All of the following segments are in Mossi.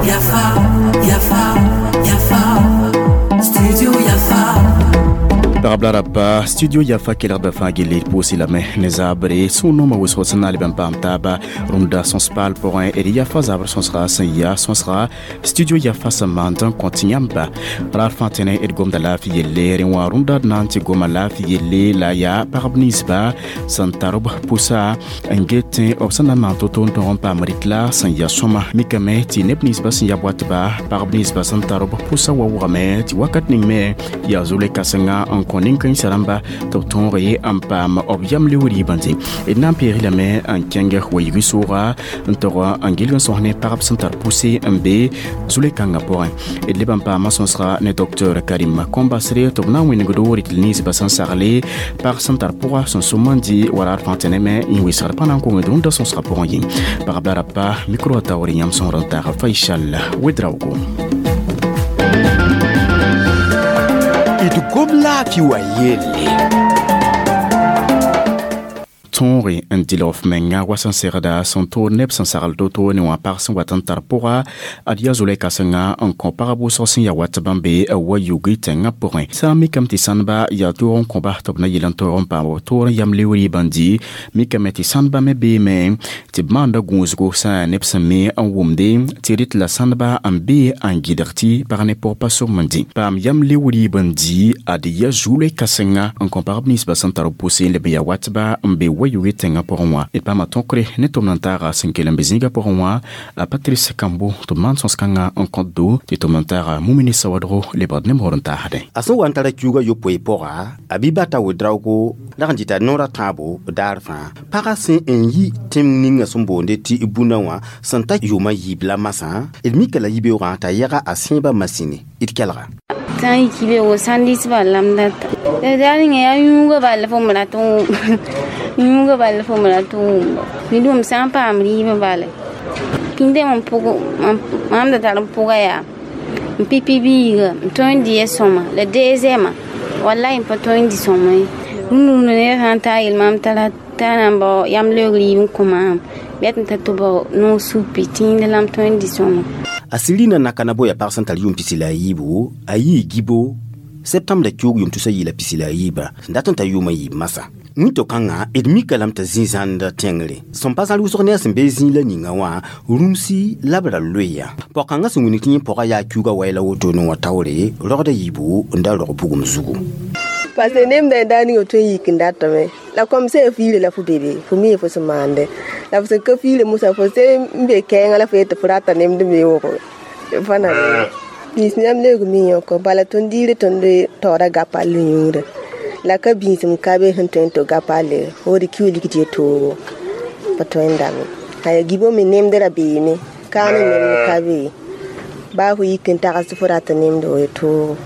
Yafa, Yafa, Yafa, Studio Yafa. Pagb la raba studio Yafa kelgda fãa gelle d pʋʋs lame ne zaabre sũ-noomã wʋsg sẽn na n leb n paam taaba rũndã sõs-paal pʋgẽ d Yafa zabr sõsga sẽn yaa sõsga studio Yafa sẽn maand n kõ tɩ yãmba raar fãa tẽne d gomda laafɩ yelle rẽ wã rũndã d na n tɩ goma laafɩ yelle la yaa pagb ninsba sẽn tar b pʋsa n get b sẽn na n maan to-to n tõg n paam rɩt-la sẽn ya sõma mikame tɩ neb ninsba sẽn ya boatba pagb ninsba sẽn tar b pʋsa wa wʋgame tɩ wakat ning me yaa zʋle kãsenga n kõ nin-kãensã rãmba tɩ b tõoge n paam b yam leoog rɩɩbã dẽ d na n peeg lame n kẽng wa-yigi sʋʋga n tog n gilg n sõs ne pagb sẽn tar pʋse n be zʋle-kãngã pʋgẽ d leb n paama sõsga ne docteur Karim Kõmbasre tɩ b na n wẽnegdo rɩtl ninsbã sẽn sagle pag sẽn tar pʋga sẽn sʋm n dɩ wa raar fãa tẽne me n wesgd pã na n kongd rũndã sõsgã pʋgẽ yẽ pagb la rapa micro wã taoore yãmb sõsd n taag Faisal Wedraogo. D gom laafɩ wa yelle. Tõoge n dɩlg f menga wa sẽn segda sẽn toor neb sẽn sagl to-to ne wã pag sẽn wat n tar pʋga ad yaa zola-kãsenga n kõ pagb wʋsg sẽn ya wat bãmb be wa yugi tẽngã pʋgẽ sã n mikame tɩ sãnba yaa toog n kõba tɩ b na yel n toog n paam b toor n yam leoog rɩɩbã n dɩ mikame tɩ sãnba me beeme tɩ b maanda gũusgo sã neb sẽn me n wʋmde tɩ rɩt la sãnba n bee n gɩdg tɩ pag ne pʋg pa sʋm n dĩ paam yam leoog rɩɩb n dɩ ad yaa zola-kãsenga n kõ pagb ninsbã sẽn tar b pʋse n leb n ya watba n be wa yugi tẽngã pʋgẽ wã d paama tõkre ne tʋmd n taaga sẽn kell n be zĩigã pʋgẽ wã a Patrice Kambo tɩ b maan sõs-kãngã n kõt do tɩ tʋmd n taaga Mumini Sawadgo lebgd ne mor n taasdẽ. A sẽn wa n tara kiuugã yopoe pʋga a Bibata Wedraogo rag n dɩta noorã tãabo daar fãa pagã sẽn n yi tẽng ninga sẽn boonde tɩ bũnã wã sẽn ta yʋʋmã yiib la masã d mika la yibeoogã t'a yaga a sẽebã masĩne d kelga. Sã n yik beoogo sãn dɩs bal la m data daa ninga yaa yũugã bal la fo m rat n wʋm yũugã bal la fo m rat n wʋmba ned sã n paam rɩɩbã bala pĩndame n pʋg mam da tar n pʋga yaa n pipi biiga n tõe n dɩ ya sõma la deuxièmea wallahi n pa tõe n dɩ sõma ye rũnd-rũndã ned sã n taa yel maam t'a na n bao yam leoog rɩɩb n kõ maam bɩ tɩ n ta tɩ bao noog supi tĩinda la m tõe n dɩ sõma. A Sirina nakana boya pag sẽn tar yʋʋm pisi la a yiibu a yii gibo septembre kiuug yʋʋm tusa yɩɩla pisi la a yiiba sẽn dat n ta yʋʋmã yiib masã wĩnto-kãngã d mika lame t'a zĩ-zãnd tẽngre sẽn pa zãl wʋsg ne a sẽn be zĩig la ninga wã rũmsi la b ra loeya pao-kãngã sẽn wilg tɩ yẽ pɔgã yaa kiuugã wɛɛla woto ne wã taoore rogda yiibu n da rog bugum zugu. Parce que nem da daa ninga tõe n yik n datame la kom sã fiire la fo bebe fo mi fo sẽn maande la fo sẽn ka fiire mosã fo se n be kɛɛngã la fo yet tɩ fo rata nemd me wʋgo fa na bĩis yãmb leoog mi yõko bala tõnd diire tõnd taoora gapall yũurã la ka bĩisem ka be sẽn tõe n to gapalle wood kiu lik dɩ toogo pa tõe n dame aya gibo me nemd ra beeme kaa ne nemd ka be baa fo yik n tags tɩ fo rata nemd wo toogo.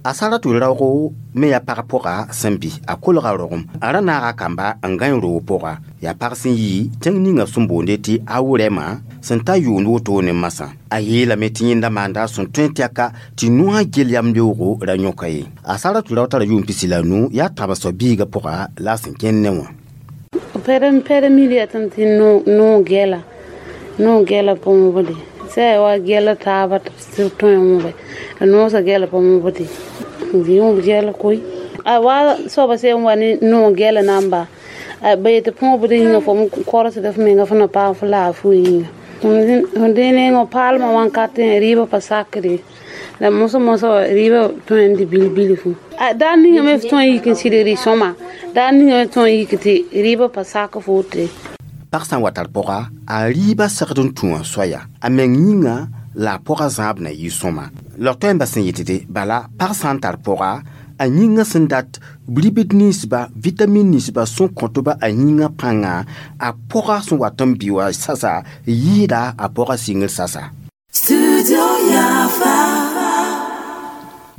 A Saratu raoogo me yaa pag pʋga sẽn bɩ a kolga rogem a ra naaga kamba n gãe roog pʋga yaa pag sẽn yi tẽng ninga sẽn boonde tɩ a wʋrɛmã sẽn ta yʋʋnd wotone ne masã a yeelame tɩ yẽnda maanda sẽn tõe n tɛka tɩ noã gel yam leoogo ra yõka ye a Saratu rao tara yʋʋm pisi la nu yaa tãb soab biigã pʋga la a sẽn kẽnd ne wã. Pɛrɛ miliya tɩ noog gɛla noog gɛla põobde sã wa gɛla taaba tɩ b tõe wõbe la noosã gɛla pa wõbde yõb gɛla koe a wa soaba sẽn wa ne noog gɛla namba ba yetɩ põobd yĩnga fo korsda f menga fo na paam fo laafɩ yĩnga fo dẽ nengã paalmã wãnkat rɩɩbã pa sakre la mosã mosã rɩɩbã tõe n dɩ bil-bilfu daa ninga me f tõe n yik n sɩd rɩ-sõma daa ninga me tõe n yik tɩ rɩɩbã pa sak fo wote. Pag sã n wa tar pɔga a rɩɩbã segd n tũ wã soaya a meng yĩnga la a pɔgã zãab na yɩ sõma la tõe n bas n yetɩ bala pag sã n tar pɔga a yĩngã sẽn dat ribd ninsba vitamin ninsba sẽn kõtba a yĩngã pãnga a pɔga sẽn wat n bɩ wa sasa yɩɩda a pɔgã sɩngr sasa. Studio Yafa.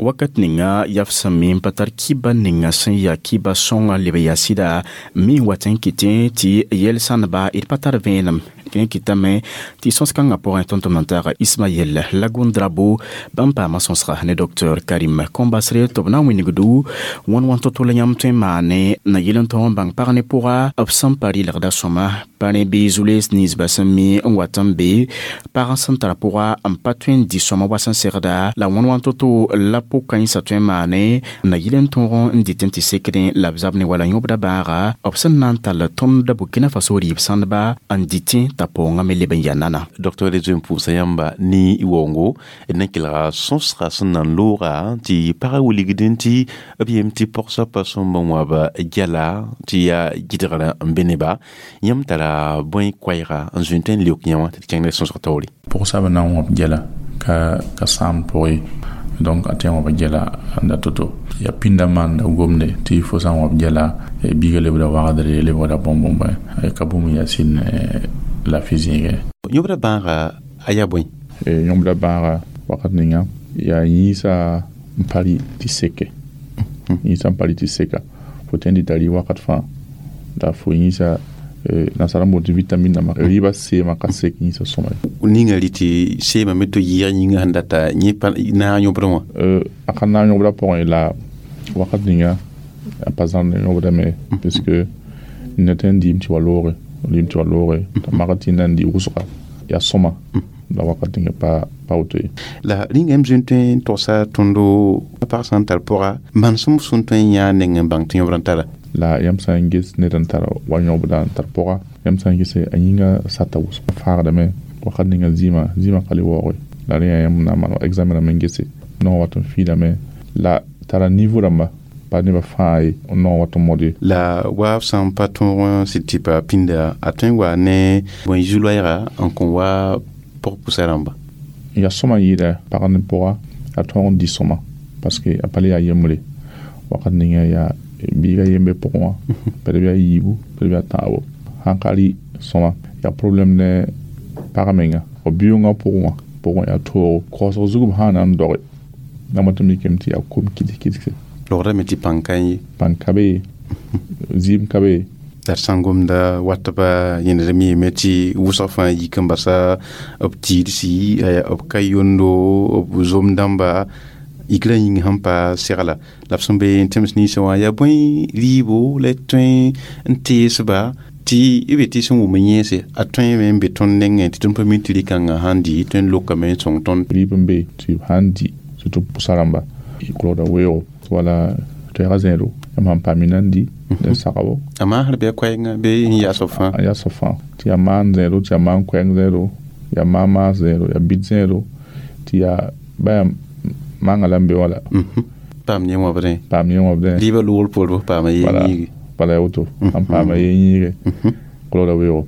Wakat ninga yaf sẽn me n pa tar kiba ninga sẽn yaa kiba sõnga leb yaa sɩda mi n wat n kɩtẽ tɩ yɛl sãnba d pa tar vẽenem Rẽ kɩtame tɩ sõs-kãngã pʋgẽ tõnd-tʋmd n taaga Ismaël Lagundrabo bãmb paama sõsga ne Dr Karim Kombasre tɩ b na n wĩnigdu wãn-wãn to-to la yãmb tõe n maane na yɩl n tõog n bãng pag ne pʋga b sẽn pa rɩlgda sõma pa rẽ bɩ zu-lees ninsba sẽn mi n wat n be pag sẽn tar pʋga n pa tõe n dɩ sõma wa sẽn segda la wãn-wãn to-to la pʋg-kãensã tõe n maane na yɩl n tõog n dɩt n tɩ sekdẽ la b zab ne wala yõbda bãaga b sẽn na n tall tõnd Burkina Faso rɩɩb sãndba n dɩtẽ t'a paoongã me leb n yaa nana. Docteur zoe n pʋʋsa yãmba ne y waoongo d na kelga sõsga sẽn na n looga tɩ pagã wilgdẽ tɩ b yem tɩ pɔg-soabã sõmb n wãb gɛla tɩ yaa gɩdgrã n be neba yãmb tara bõe koɛɛga n zoe n tõe n leok yã wã tɩ d kẽng ne sõsg taoore. Pʋg-soabã na n wãb gɛla ka sãam pʋgẽ donc a tẽ n wãb gɛla n da to-to yaa pĩndã maanda gomde tɩ fo sã n wãb gɛla biiga lebda wagdre lebgda bõn-bõn ka bũmb n yaa sɩd laafɩ zĩigẽ. Yõbda bãaga a yaa bõe? Yõbda bãaga wakat ninga yaa yĩnsa n pa rɩ tɩ seke yĩnsa n pa rɩ tɩ seka fo tõe n dɩta rɩ wakat fãa la fo yĩnsa nasara n boond tɩ vitamine dãmba rɩɩbã seemã ka sek yĩnsa sõma ye. Ninga rɩ tɩ seemã me tɩ yɩɩg yĩngã sẽn data yẽ pa naag yõbdẽ wã. A ka naag yõbdã pʋgẽ la wakat ninga a pa zãmd yõbda me puisque ned tõe n dɩɩm tɩ wa looge dɩɩm tɩ wa looge t'a magd tɩ na n dɩ wʋsga yaa sõma la wakat ninga pa woto ye. La rĩnga m zoe n tõe n togsa tõndo pag sã n tar pʋga manesem sẽn tõe n yãa neng n bãng tɩ yõbd n tara. La yãmb sã n ges ned n tar wa yõbda n tar pʋga yãmb sã n gese a yĩnga sata wʋsg faagdame wakat ninga zĩima ka le waooge la rẽ yaa yãmb na n maan examen rãmb n gese naoã wat n fiidame la tara niveau rãmba pa nebã fãa ye naoã wat n mod ye. La wa b sã n pa tõog n sɩd tɩ pa pĩnda a tõe n wa ne bõe zu-loɛɛga n kõ wa pʋg-pʋsa rãmba. Yaa sõma yɩɩda pag ne pʋga a tõog n dɩ sõma parce que a pa le yaa yembre wakat ninga yaa biiga yembe pʋgẽ wã pd bɩ a yiibu pd bɩ a tãabo sãn ka rɩ sõma yaa problème ne pag menga f biʋngã pʋgẽ wã pʋgẽ yaa toogo kaoosg zug b sã n na n doge na mõt n mikame tɩ yaa kom kɩds-kɩdse. Logdame tɩ pãng ka ye. Pãng ka be ye zɩɩm ka be ye. La d sã n gomda watba yẽnd miime tɩ wʋsg fãa yik n basa b tiidsi b ka yondo b zom dãmba yikrã yĩng sẽn pa segla la b sẽn be n tẽms ninsã wã yaa bõe rɩɩbo la d tõe n teesba tɩ b tɩ sẽn wʋm yẽese a tõeme n be tõnd nengẽ tɩ tõnd pa mi tɩ rɩ-kãngã sãn dɩ tõe n lokame n sõng tõnd. Rɩɩb n be tɩ b sãn dɩ surtout pʋsa rãmba kolgda weoogo wala toɛɛga zẽedo yãmb sãn paam n dɩ d sagbo. A maasr bɩ a koɛɛngã bɩ n yaasb fãa. A yaasb fãa tɩ yaa maan zẽedo tɩ yaa maan koɛɛng zẽedo yaa maan maas zẽedo yaa bɩd zẽedo tɩ yaa ba yaa manga la n be wã la. Paam yẽ wãbdẽ. Paam yẽ wãbdẽ. Rɩɩbã loogr poor f paama yee yĩige. Bala ya woto sãn paama yee yĩige kolgda weoogo.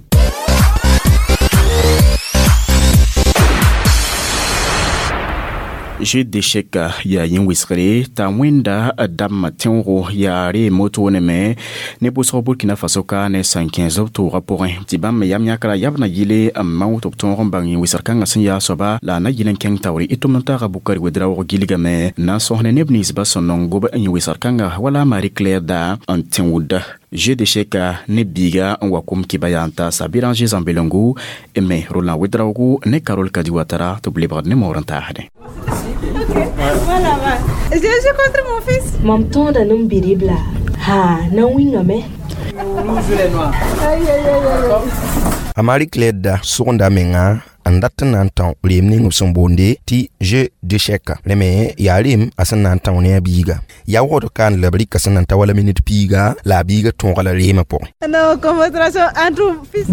Jeu d'échec yaa yẽ wɩsgre t'a wẽnda dãmbã tẽoogo yaa reem wotone me ne pʋsg Burkina Faso ka ne sẽn kẽes b toogã pʋgẽ tɩ bãmb me yam yãkra yab na yɩle n mao tɩ b tõog n bãng yẽ wɩsg kãngã sẽn yaa soaba la a na yɩl n kẽng taoore y tʋmd n taaga Bukari Wedraoog gilgame n na n sõs ne neb ninsbã sẽn nong gob n yẽ wɩsg kãnga wala Marie Claire da n tẽoda jeu d'échec ne biiga n wa kom kɩba yaa n taasa Béranger Zambelongo me Roland Wedraogo ne Carole Kadi Ouattara tɩ b lebgd ne moor n taasdẽ. Voilà, je joue contre mon fils. Mam tõoda nin bidibla ha na wĩngame. A Marie Claire da sʋgenda menga n dat n na n tão reem ning b sẽn boonde tɩ jeu d'échec rẽ me yaa reem a sẽn na n tão ne a biiga yaa waood ka n la b rɩka sẽn na n ta wala minit piiga la a biiga tõoga la reemã pʋgẽ.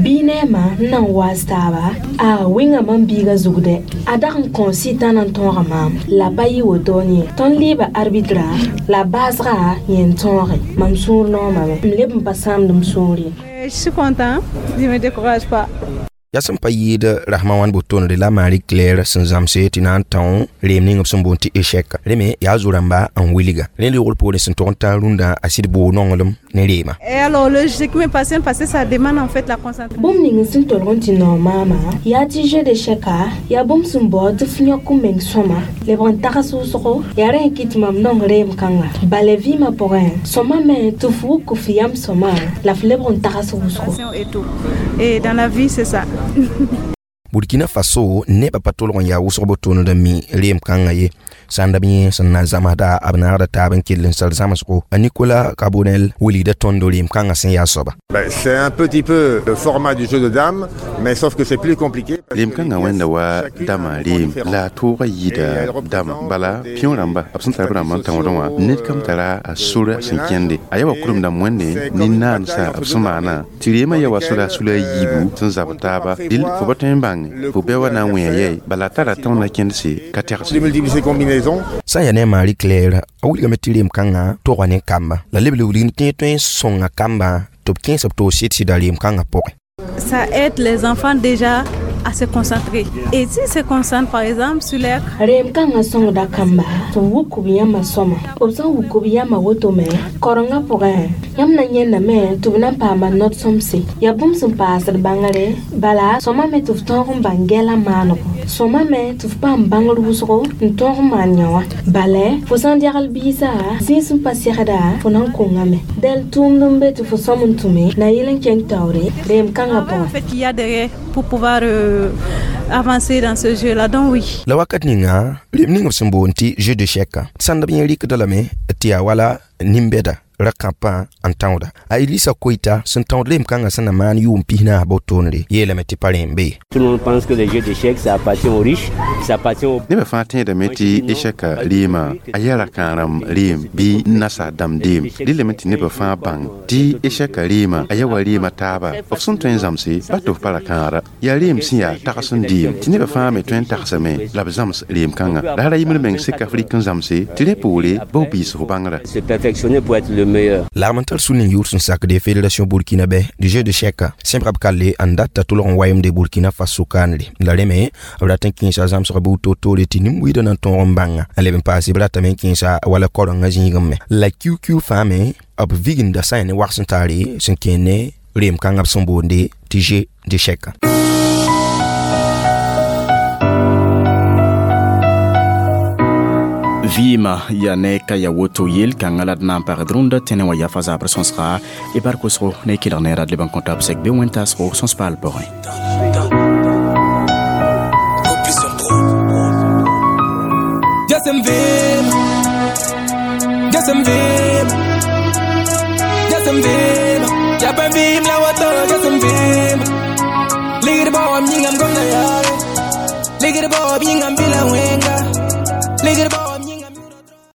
Bɩ neema n na n waas taaba a wĩnga mam biiga zugdɛ a dag n kõo sɩtã na n tõoga maam la pa yɩ wotone ye tõnd leeba arbitra la baasga yẽ n tõoge mam sũur noomame m leb n pa sãamd m sũur ye. Je suis content, je me décourage pas. Yaa sẽn pa yɩɩd rasmã wãn bo-tondre la Marie Claire sẽn zãmse tɩ na n tão reem ning b sẽn boond tɩ échec rẽ me yaa zo-rãmba n wilga rẽ loogr poorẽ sẽn tog n taa rũndã a sɩd boog nonglem ne reema. Et alors le jeu qui me passionne parce que ça demande en fait la concentration. Bũmb ning sẽn tolg n tɩ naoog maama yaa tɩ jeu d'échec-a yaa bũmb sẽn baood tɩ f yõk n meng sõma lebg n tags wʋsgo yaa rẽ n kɩt mam nong reem kãnga bala vɩɩmã pʋgẽ sõma me tɩ f wʋk f yam sõma la f lebg n tags wʋsgo. Et tout. Et dans la vie c'est ça. Burkina Faso nebã pa tolg n yaa wʋsg botooned n mi reem kãngã ye. Sãn da b yẽ sẽn na n zãmsda b naagda taab n kell n sar zãmsgo. A Nicolas Carbonel wilgda tõndo reem kãngã sẽn yaa soaba. C'est un petit peu le format du jeu de dames, mais sauf que c'est plus compliqué. Reem kãngã wẽnda wa dama reem la a toogã yɩɩda dama. Bala pĩo rãmba b sẽn tar b rãmb n tãoodẽ wã ned kam tara a sora sẽn kẽnde. A yaa wa kurem dãmb wẽnde nin-naandsã b sẽn maana tɩ reemã yaa wa sora sula a yiibu sẽn zabd taaba. Dɩl fo pa tõe n bãng fo bɩ wa na n wẽ yɛy bala a tara tõnd na kẽndse ka tɛgse. Sã n yaa ne a Marie Claire a wilgame tɩ reem kãngã toga ne kamba la leb le wilg tɩ tõe n sõnga kamba tɩ b kẽes b toog sɩd-sɩda reem kãngã pʋgẽ. Ça aide les enfants déjà à se concentrer. Et s'ils se concentrent par exemple sur leur Reem kãngã sõngda kamba tɩ b wuk b yãmba sõma. B sẽn wuk b yãmba woto me korengã pʋgẽ yãmb na yẽndame tɩ b na n paama not-sõmse. Yaa bũmb sẽn paasd bãngre bala sõmame tɩ f tõog n bãng gɛla maanego. Sõmame tɩ f paam bãngr wʋsgo n tõog n maan yã wã. Bala fo sã n dɛgl biisã zĩig sẽn pa segda fo na n kõngame. Dɛl tʋʋmd n be tɩ fo sõm n tũme na yɩl n kẽng taoore reem kãngã pʋgẽ. En fait, qu'il y a derrière pour pouvoir avancer dans ce jeu-là. Donc oui. La wakat ninga reem ning b sẽn boond tɩ jeu d'échec sãnd b yẽ rɩkda lame tɩ yaa wala nin-bɛda ra-kãpã n tãooda. A Elisa Koita sẽn tãood reem kãngã sẽn na maan yʋʋm pis-naas botoonre yeelame tɩ pa rẽem be. Tout le monde pense que les jeux d'échecs, ça appartient aux riches, ça appartient aux... Nebã fãa tẽedame tɩ échec reema a yaa ra-kãarem reem bɩ nasa dãmb deem. Rɩlame tɩ nebã fãa bãng tɩ échec reema a yaa wa reema taaba. B sẽn tõe n zãmse ba tɩ f pa ra-kãara. Yaa reem sẽn yaa tags n deem tɩ nebã fãa me tõe n tagsame la b zãms reem kãngã. La ra yembr meng sek Afrik n zãmse tɩ rẽ poore ba b biis f bãngrã. Se perfectionner pour être le meilleur. Lagm n tar sũn n yʋʋr sẽn sakde Fédération burkinabé du jeu d'échec sẽn b kalle n data tʋlg n wayemde Burkina Faso kaanre. La rẽ me b rat n kẽesa zãmsg buud toor-toore tɩ nin-buiidã na n tõog n bãnga. N leb n paase b ratame n kẽesa wala korengã zĩigẽ me. La QQ fãa me b viginda sã n yaa ne wags n taare sẽn kẽer ne reem kãngã b sẽn boonde tɩ jeu d'échec. Vɩɩmã yaa ne ka ya woto yel kãngã la d na n pagd rũndã tẽnẽ wã yafa zabr sõsga y bar kosgo ne kelg ne rad leb n kõta b sɛk be wẽn-taasgo sõs-paal pʋgẽ.